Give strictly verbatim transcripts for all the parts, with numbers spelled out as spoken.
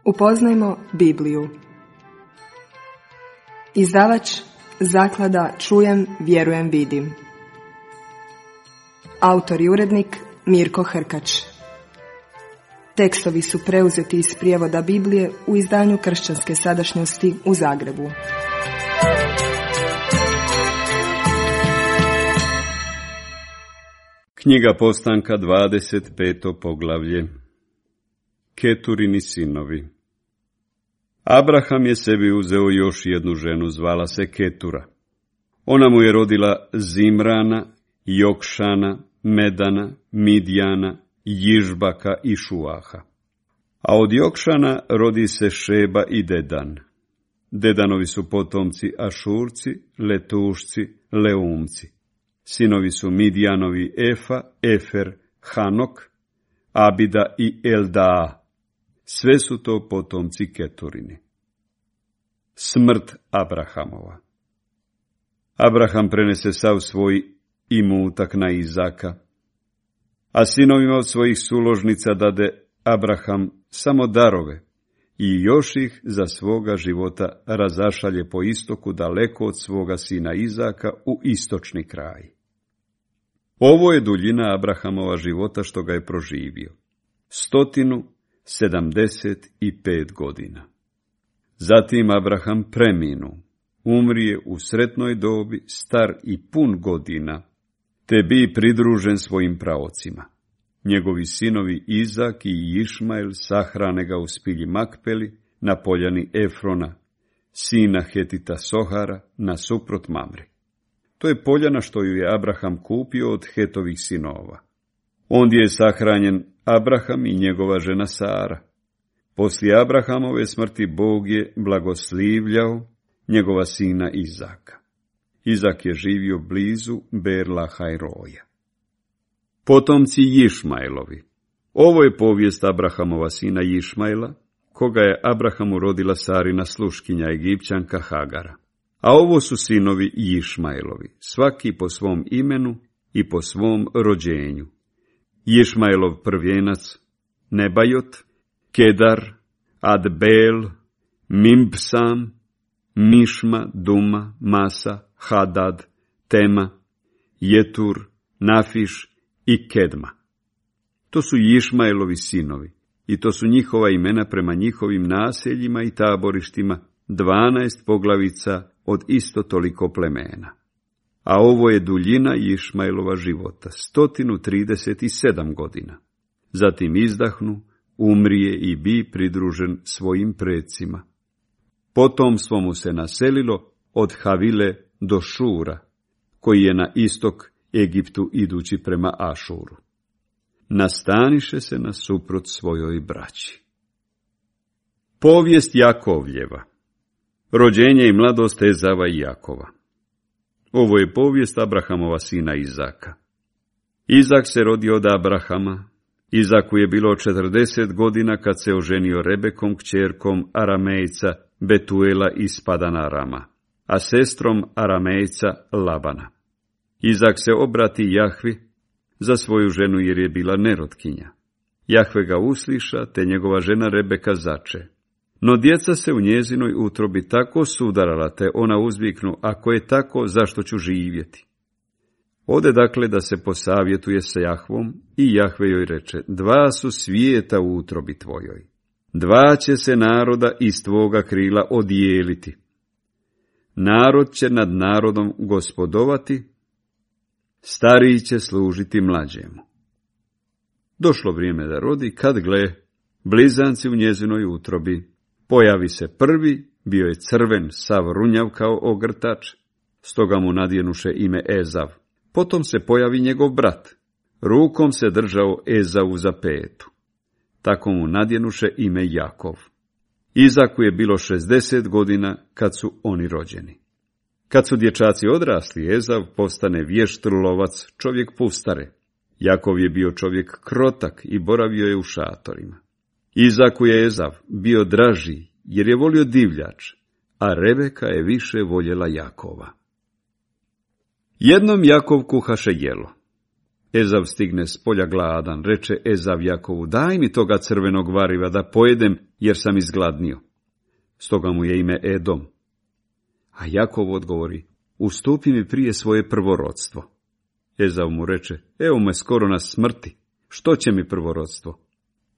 Upoznajmo Bibliju. Izdavač Zaklada Čujem, vjerujem, vidim. Autor i urednik Mirko Hrkač. Tekstovi su preuzeti iz prijevoda Biblije u izdanju Kršćanske sadašnjosti u Zagrebu. Knjiga Postanka, dvadeset peto poglavlje. Keturini sinovi. Abraham je sebi uzeo još jednu ženu, zvala se Ketura. Ona mu je rodila Zimrana, Jokšana, Medana, Midjana, Jižbaka i Šuaha. A od Jokšana rodi se Šeba i Dedan. Dedanovi su potomci Ašurci, Letušci, Leumci. Sinovi su Midjanovi Efa, Efer, Hanok, Abida i Eldaa. Sve su to potomci Keturini. Smrt Abrahamova. Abraham prenese sav svoj imutak na Izaka, a sinovima od svojih suložnica dade Abraham samo darove i još ih za svoga života razašalje po istoku daleko od svoga sina Izaka u istočni kraj. Ovo je duljina Abrahamova života što ga je proživio. Stotinu sedamdeset i pet godina. Zatim Abraham preminu, umrije u sretnoj dobi, star i pun godina, te bi pridružen svojim praocima. Njegovi sinovi Izak i Išmael sahrane ga u spilji Makpeli na poljani Efrona, sina Hetita Sohara, nasuprot Mamri. To je poljana što ju je Abraham kupio od Hetovih sinova. Ondje je sahranjen Abraham i njegova žena Sara. Poslije Abrahamove smrti Bog je blagoslivljao njegova sina Izaka. Izak je živio blizu Berlahajroja. Potomci Išmaelovi. Ovo je povijest Abrahamova sina Išmaela, koga je Abrahamu rodila Sarina sluškinja Egipćanka Hagara. A ovo su sinovi Išmaelovi, svaki po svom imenu i po svom rođenju. Išmaelov prvijenac Nebajot, Kedar, Adbel, Mimbsam, Mišma, Duma, Masa, Hadad, Tema, Jetur, Nafiš i Kedma. To su Išmaelovi sinovi i to su njihova imena prema njihovim naseljima i taborištima, dvanaest poglavica od isto toliko plemena. A ovo je duljina Išmaelova života, stotinu trideset i sedam godina. Zatim izdahnu, umrije i bi pridružen svojim precima. Potomstvo mu se naselilo od Havile do Šura, koji je na istok Egiptu idući prema Ašuru. Nastaniše se nasuprot svojoj braći. Povijest Jakovljeva. Rođenje i mladost Ezava i Jakova. Ovo je povijest Abrahamova sina Izaka. Izak se rodio od Abrahama. Izaku je bilo četrdeset godina kad se oženio Rebekom, kćerkom Aramejca Betuela iz Padan Arama, a sestrom Aramejca Labana. Izak se obrati Jahvi za svoju ženu jer je bila nerotkinja. Jahve ga usliša, te njegova žena Rebeka zače. No djeca se u njezinoj utrobi tako sudarala, te ona uzviknu, ako je tako, zašto ću živjeti? Ode dakle da se posavjetuje sa Jahvom i Jahve joj reče, dva su svijeta u utrobi tvojoj. Dva će se naroda iz tvoga krila odijeliti. Narod će nad narodom gospodovati, stariji će služiti mlađemu. Došlo vrijeme da rodi, kad gle, blizanci u njezinoj utrobi. Pojavi se prvi, bio je crven, sav runjav kao ogrtač, stoga mu nadjenuše ime Ezav. Potom se pojavi njegov brat, rukom se držao Ezavu za petu. Tako mu nadjenuše ime Jakov. Izaku je bilo šezdeset godina kad su oni rođeni. Kad su dječaci odrasli, Ezav postane vješt lovac, čovjek pustare. Jakov je bio čovjek krotak i boravio je u šatorima. Izaku je Ezav bio draži, jer je volio divljač, a Rebeka je više voljela Jakova. Jednom Jakov kuhaše jelo. Ezav stigne s polja gladan, reče Ezav Jakovu, daj mi toga crvenog variva da pojedem, jer sam izgladnio. Stoga mu je ime Edom. A Jakov odgovori, ustupi mi prije svoje prvorodstvo. Ezav mu reče, evo me skoro na smrti, što će mi prvorodstvo?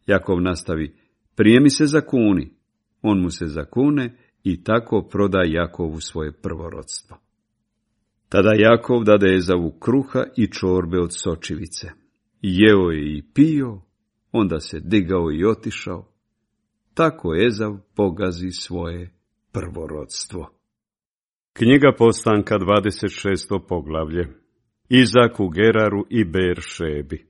Jakov nastavi, prije mi se zakuni. On mu se zakune i tako proda Jakovu svoje prvorodstvo. Tada Jakov dade Ezavu kruha i čorbe od sočivice. Jeo je i pio, onda se digao i otišao. Tako Ezav pogazi svoje prvorodstvo. Knjiga Postanka, dvadeset šesto poglavlje. Izak u Geraru i Beer-šebi.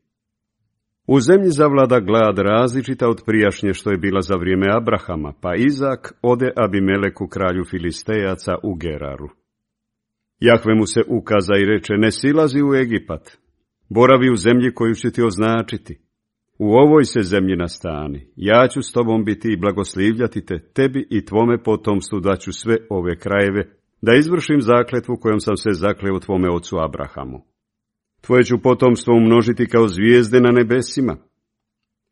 U zemlji zavlada glad različita od prijašnje što je bila za vrijeme Abrahama, pa Izak ode Abimeleku kralju Filistejaca u Geraru. Jahve mu se ukaza i reče, ne silazi u Egipat, boravi u zemlji koju ću ti označiti. U ovoj se zemlji nastani, ja ću s tobom biti i blagoslivljati te, tebi i tvome potomstvu daću sve ove krajeve, da izvršim zakletvu kojom sam se zakleo tvome ocu Abrahamu. Tvoje ću potomstvo umnožiti kao zvijezde na nebesima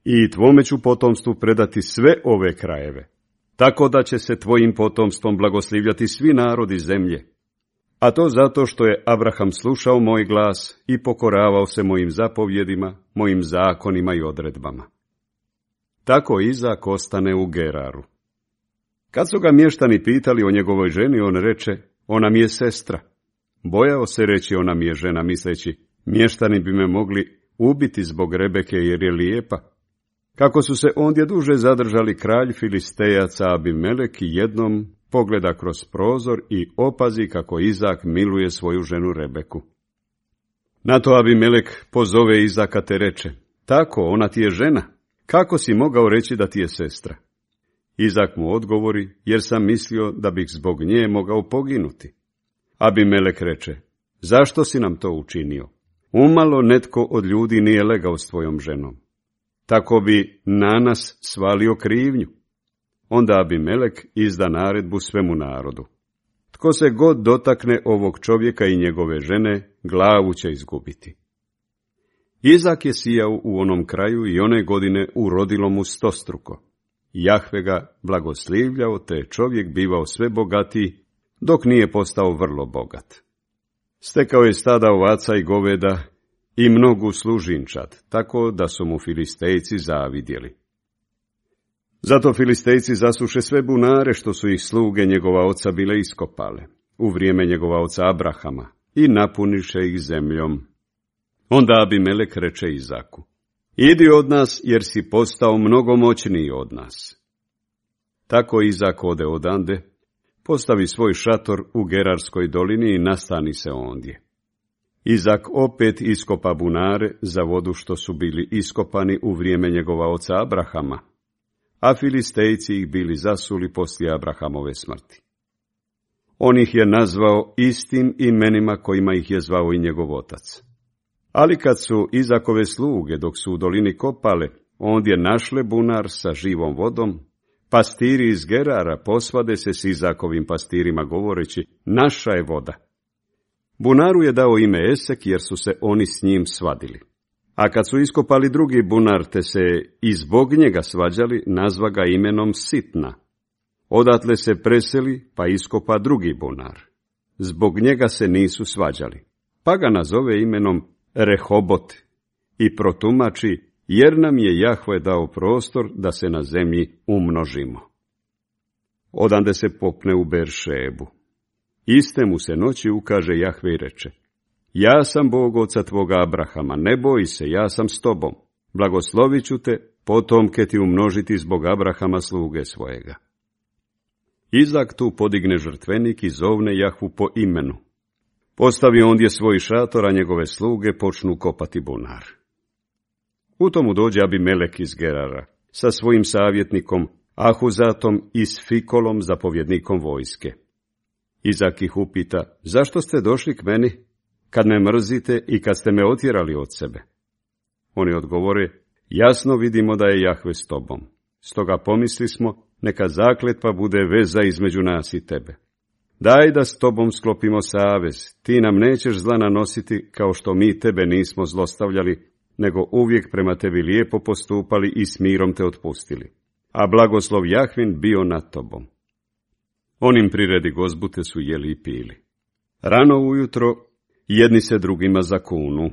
i tvome ću potomstvu predati sve ove krajeve, tako da će se tvojim potomstvom blagoslivljati svi narodi zemlje. A to zato što je Abraham slušao moj glas i pokoravao se mojim zapovjedima, mojim zakonima i odredbama. Tako Izak ostane u Geraru. Kad su ga mještani pitali o njegovoj ženi, on reče, ona mi je sestra. Bojao se reći, ona mi je žena, misleći, mještani bi me mogli ubiti zbog Rebeke jer je lijepa. Kako su se ondje duže zadržali, kralj Filistejaca Abimelek jednom pogleda kroz prozor i opazi kako Izak miluje svoju ženu Rebeku. Na to Abimelek pozove Izaka te reče, tako, ona ti je žena, kako si mogao reći da ti je sestra? Izak mu odgovori, jer sam mislio da bih zbog nje mogao poginuti. Abimelek reče, zašto si nam to učinio? Umalo netko od ljudi nije legao s tvojom ženom. Tako bi na nas svalio krivnju. Onda Abimelek izda naredbu svemu narodu. Tko se god dotakne ovog čovjeka i njegove žene, glavu će izgubiti. Izak je sijao u onom kraju i one godine urodilo mu stostruko. Jahve ga blagoslivljao, te čovjek bivao sve bogatiji, dok nije postao vrlo bogat. Stekao je stada ovaca i goveda i mnogu služinčad, tako da su mu Filistejci zavidjeli. Zato Filistejci zasuše sve bunare što su ih sluge njegova oca bile iskopale, u vrijeme njegova oca Abrahama, i napuniše ih zemljom. Onda Abimelek reče Izaku, idi od nas, jer si postao mnogo moćniji od nas. Tako Izak ode odande, postavi svoj šator u Gerarskoj dolini i nastani se ondje. Izak opet iskopa bunare za vodu što su bili iskopani u vrijeme njegova oca Abrahama, a Filistejci ih bili zasuli poslije Abrahamove smrti. On ih je nazvao istim imenima kojima ih je zvao i njegov otac. Ali kad su Izakove sluge, dok su u dolini kopale, ondje našle bunar sa živom vodom, pastiri iz Gerara posvade se s Izakovim pastirima govoreći, naša je voda. Bunaru je dao ime Esek, jer su se oni s njim svadili. A kad su iskopali drugi bunar, te se i zbog njega svađali, nazva ga imenom Sitna. Odatle se preseli, pa iskopa drugi bunar. Zbog njega se nisu svađali, pa ga nazove imenom Rehobot i protumači, jer nam je Jahve dao prostor da se na zemlji umnožimo. Odande se popne u Beer-šebu. Iste mu se noći ukaže Jahve i reče, ja sam Bog oca tvoga Abrahama, ne boj se, ja sam s tobom, blagoslovit ću te, potomke ti umnožiti zbog Abrahama sluge svojega. Izak tu podigne žrtvenik i zovne Jahvu po imenu. Postavi ondje svoj šator, a njegove sluge počnu kopati bunar. U tomu dođe Abimelek iz Gerara sa svojim savjetnikom Ahuzatom i s Fikolom, zapovjednikom vojske. Izak ih upita, zašto ste došli k meni, kad me mrzite i kad ste me otjerali od sebe? Oni odgovore, jasno vidimo da je Jahve s tobom. Stoga pomisli smo, neka zakletva bude veza između nas i tebe. Daj da s tobom sklopimo savez, ti nam nećeš zla nanositi kao što mi tebe nismo zlostavljali, nego uvijek prema tebi lijepo postupali i s mirom te otpustili. A blagoslov Jahvin bio nad tobom. Onim priredi gozbute su jeli i pili. Rano ujutro jedni se drugima zakunu,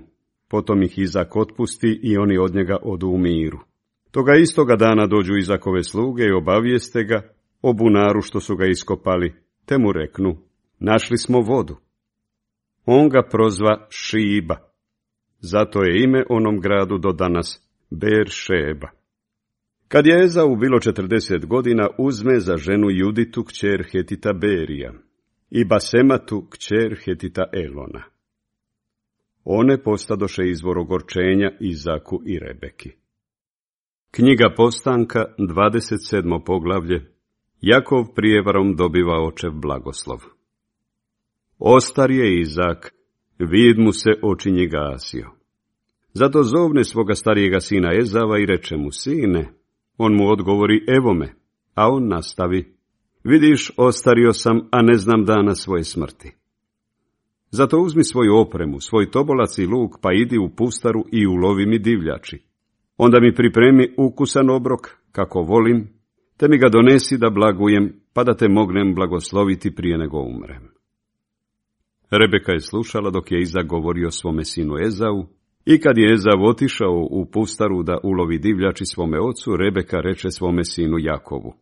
potom ih Izak otpusti i oni od njega odu u miru. Toga istoga dana dođu Izakove sluge i obavijeste ga o bunaru što su ga iskopali, te mu reknu, našli smo vodu. On ga prozva Šiba, zato je ime onom gradu do danas Ber-šeba. Kad je Ezau bilo četrdeset godina, uzme za ženu Juditu kćer Hetita Berija i Basematu kćer Hetita Elona. One postadoše izvor ogorčenja Izaku i Rebeki. Knjiga Postanka, dvadeset sedmo poglavlje. Jakov prijevarom dobiva očev blagoslov. Ostar je Izak, vid mu se očinji gasio. Zato zovne svoga starijega sina Ezava i reče mu, sine. On mu odgovori, evo me, a on nastavi, vidiš, ostario sam, a ne znam dana svoje smrti. Zato uzmi svoju opremu, svoj tobolac i luk, pa idi u pustaru i ulovi mi divljači. Onda mi pripremi ukusan obrok, kako volim, te mi ga donesi da blagujem, pa da te mognem blagosloviti prije nego umrem. Rebeka je slušala dok je Izak govorio svome sinu Ezau, i kad je Ezav otišao u pustaru da ulovi divljači svome ocu, Rebeka reče svome sinu Jakovu,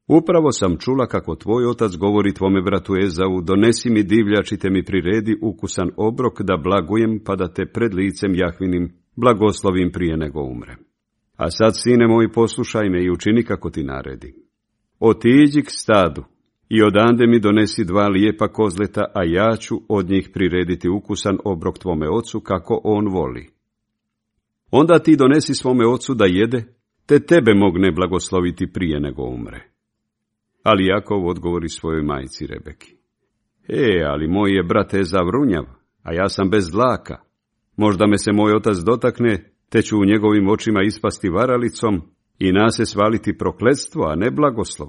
upravo sam čula kako tvoj otac govori tvome bratu Ezavu, donesi mi divljači te mi priredi ukusan obrok da blagujem, pa da te pred licem Jahvinim blagoslovim prije nego umrem. A sad, sine moj, poslušaj me i učini kako ti naredi. Otiđi k stadu i odande mi donesi dva lijepa kozleta, a ja ću od njih prirediti ukusan obrok tvome ocu kako on voli. Onda ti donesi svome ocu da jede, te tebe mogne blagosloviti prije nego umre. Ali Jakov odgovori svojoj majci Rebeki. E, ali moj je brat Ezav runjav, a ja sam bez dlaka. Možda me se moj otac dotakne, te ću u njegovim očima ispasti varalicom i na se svaliti prokletstvo, a ne blagoslov.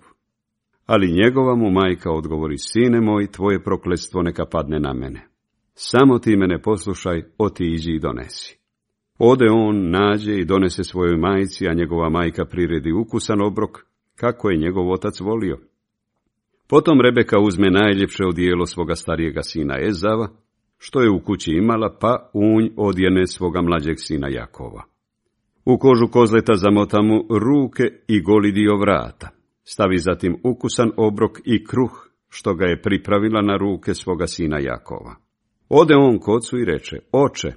Ali njegova mu majka odgovori, sine moj, tvoje prokletstvo neka padne na mene. Samo ti mene poslušaj, otiđi i donesi. Ode on, nađe i donese svojoj majci, a njegova majka priredi ukusan obrok, kako je njegov otac volio. Potom Rebeka uzme najljepše odijelo svoga starijega sina Ezava, što je u kući imala, pa unj odjene svoga mlađeg sina Jakova. U kožu kozleta zamota mu ruke i goli dio vrata. Stavi zatim ukusan obrok i kruh, što ga je pripravila na ruke svoga sina Jakova. Ode on k ocu i reče, oče.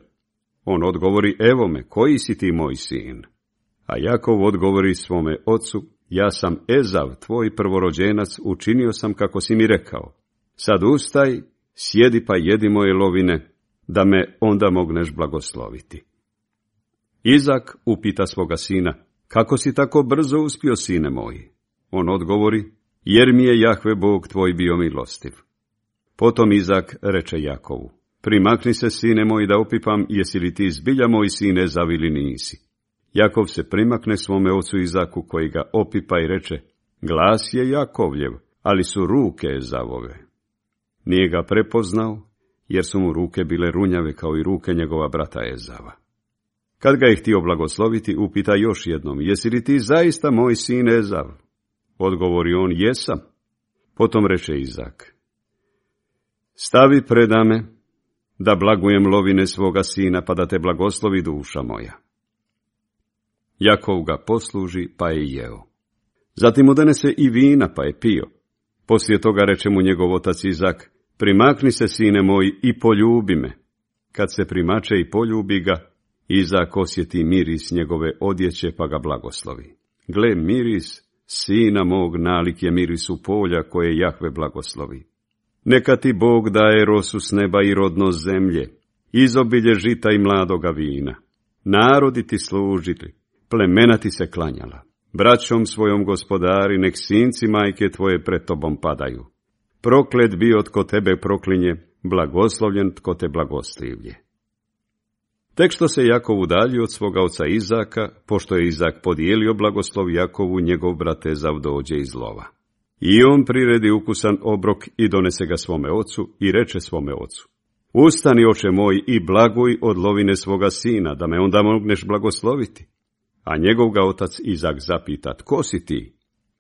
On odgovori, evo me, koji si ti moj sin? A Jakov odgovori svome ocu, ja sam Ezav, tvoj prvorođenac, učinio sam kako si mi rekao. Sad ustaj, sjedi pa jedi moje lovine, da me onda mogneš blagosloviti. Izak upita svoga sina, kako si tako brzo uspio, sine moji? On odgovori, jer mi je Jahve Bog tvoj bio milostiv. Potom Izak reče Jakovu, primakni se, sine moj, da opipam, jesi li ti zbilja moj sin Ezav ili nisi? Jakov se primakne svome ocu Izaku, koji ga opipa i reče, glas je Jakovljev, ali su ruke Ezavove. Nije ga prepoznao, jer su mu ruke bile runjave kao i ruke njegova brata Ezava. Kad ga je htio blagosloviti, upita još jednom, jesi li ti zaista moj sin Ezav? Odgovori on, jesam. Potom reče Izak, stavi predame, da blagujem lovine svoga sina, pa da te blagoslovi duša moja. Jakov ga posluži, pa je jeo. Zatim mu donese i vina, pa je pio. Poslije toga reče mu njegov otac Izak, primakni se, sine moj, i poljubi me. Kad se primače i poljubi ga, Izak osjeti miris njegove odjeće, pa ga blagoslovi. Gle, miris sina mog nalik je mirisu polja koje Jahve blagoslovi. Neka ti Bog daje rosu s neba i rodnost zemlje, izobilje žita i mladoga vina. Narodi ti služili, plemena ti se klanjala. Braćom svojom gospodari, nek sinci majke tvoje pred tobom padaju. Proklet bio tko tebe proklinje, blagoslovljen tko te blagoslivlje. Tek što se Jakov udaljio od svoga oca Izaka, pošto je Izak podijelio blagoslov Jakovu, njegov brat Ezav dođe iz lova. I on priredi ukusan obrok i donese ga svome ocu i reče svome ocu: Ustani, oče moj, i blaguj od lovine svoga sina, da me onda mogneš blagosloviti. A njegov ga otac Izak zapita: Tko si ti?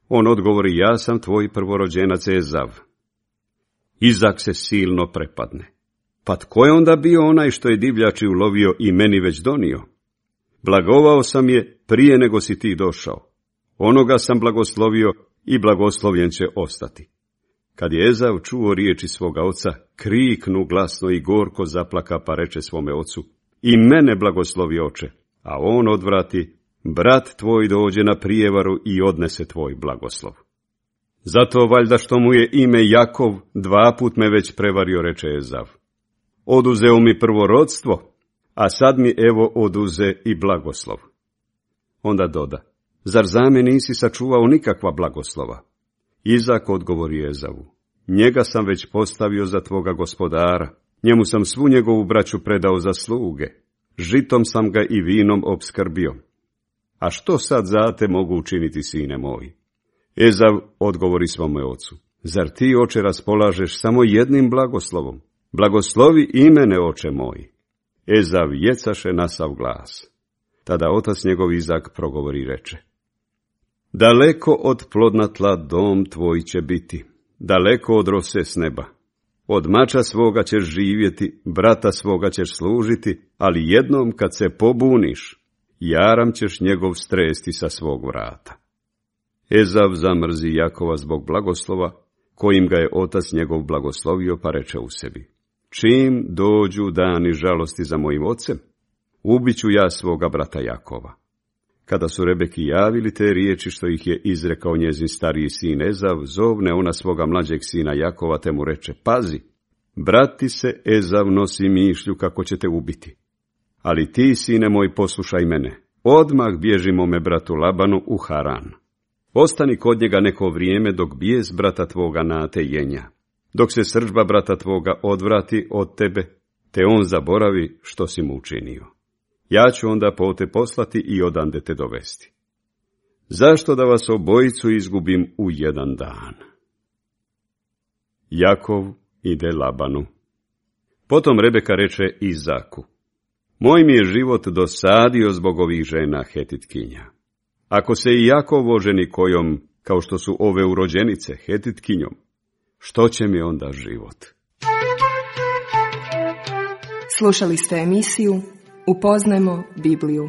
On odgovori: Ja sam tvoj prvorođenac Ezav. Izak se silno prepadne. Pa tko je onda bio onaj što je divljači ulovio i meni već donio? Blagovao sam je prije nego si ti došao. Onoga sam blagoslovio i blagoslovljen će ostati. Kad je Ezav čuo riječi svoga oca, kriknu glasno i gorko zaplaka, pa reče svome ocu: I mene blagoslovi, oče. A on odvrati: Brat tvoj dođe na prijevaru i odnese tvoj blagoslov. Zato valjda što mu je ime Jakov, dva put me već prevario, reče Ezav. Oduzeo mi prvorodstvo, a sad mi evo oduze i blagoslov. Onda doda: Zar za me nisi sačuvao nikakva blagoslova? Izak odgovori Ezavu: Njega sam već postavio za tvoga gospodara, njemu sam svu njegovu braću predao za sluge, žitom sam ga i vinom opskrbio. A što sad za te mogu učiniti, sine moj? Ezav odgovori svome ocu: Zar ti, oče, raspolažeš samo jednim blagoslovom? Blagoslovi i mene, oče moj. Ezav jecaše na sav glas. Tada otac njegov Izak progovori i reče: Daleko od plodna tla dom tvoj će biti, daleko od rose s neba. Od mača svoga ćeš živjeti, brata svoga ćeš služiti, ali jednom kad se pobuniš, jaram ćeš njegov stresti sa svog vrata. Ezav zamrzi Jakova zbog blagoslova, kojim ga je otac njegov blagoslovio, pa reče u sebi: Čim dođu dani žalosti za mojim ocem, ubiću ja svoga brata Jakova. Kada su Rebeki javili te riječi što ih je izrekao njezin stariji sin Ezav, zovne ona svoga mlađeg sina Jakova, te mu reče: Pazi, brati se Ezav nosi mišlju kako će te ubiti. Ali ti, sine moj, poslušaj mene, odmah bježi mome bratu Labanu u Haran. Ostani kod njega neko vrijeme dok bijes brata tvoga nate jenja. Dok se srdžba brata tvoga odvrati od tebe, te on zaboravi što si mu učinio. Ja ću onda po te poslati i odande te dovesti. Zašto da vas obojicu izgubim u jedan dan? Jakov ide Labanu. Potom Rebeka reče Izaku: Moj mi je život dosadio zbog ovih žena Hetitkinja. Ako se i Jakov oženi kojom, kao što su ove urođenice, Hetitkinjom, što će mi onda život? Slušali ste emisiju Upoznajmo Bibliju.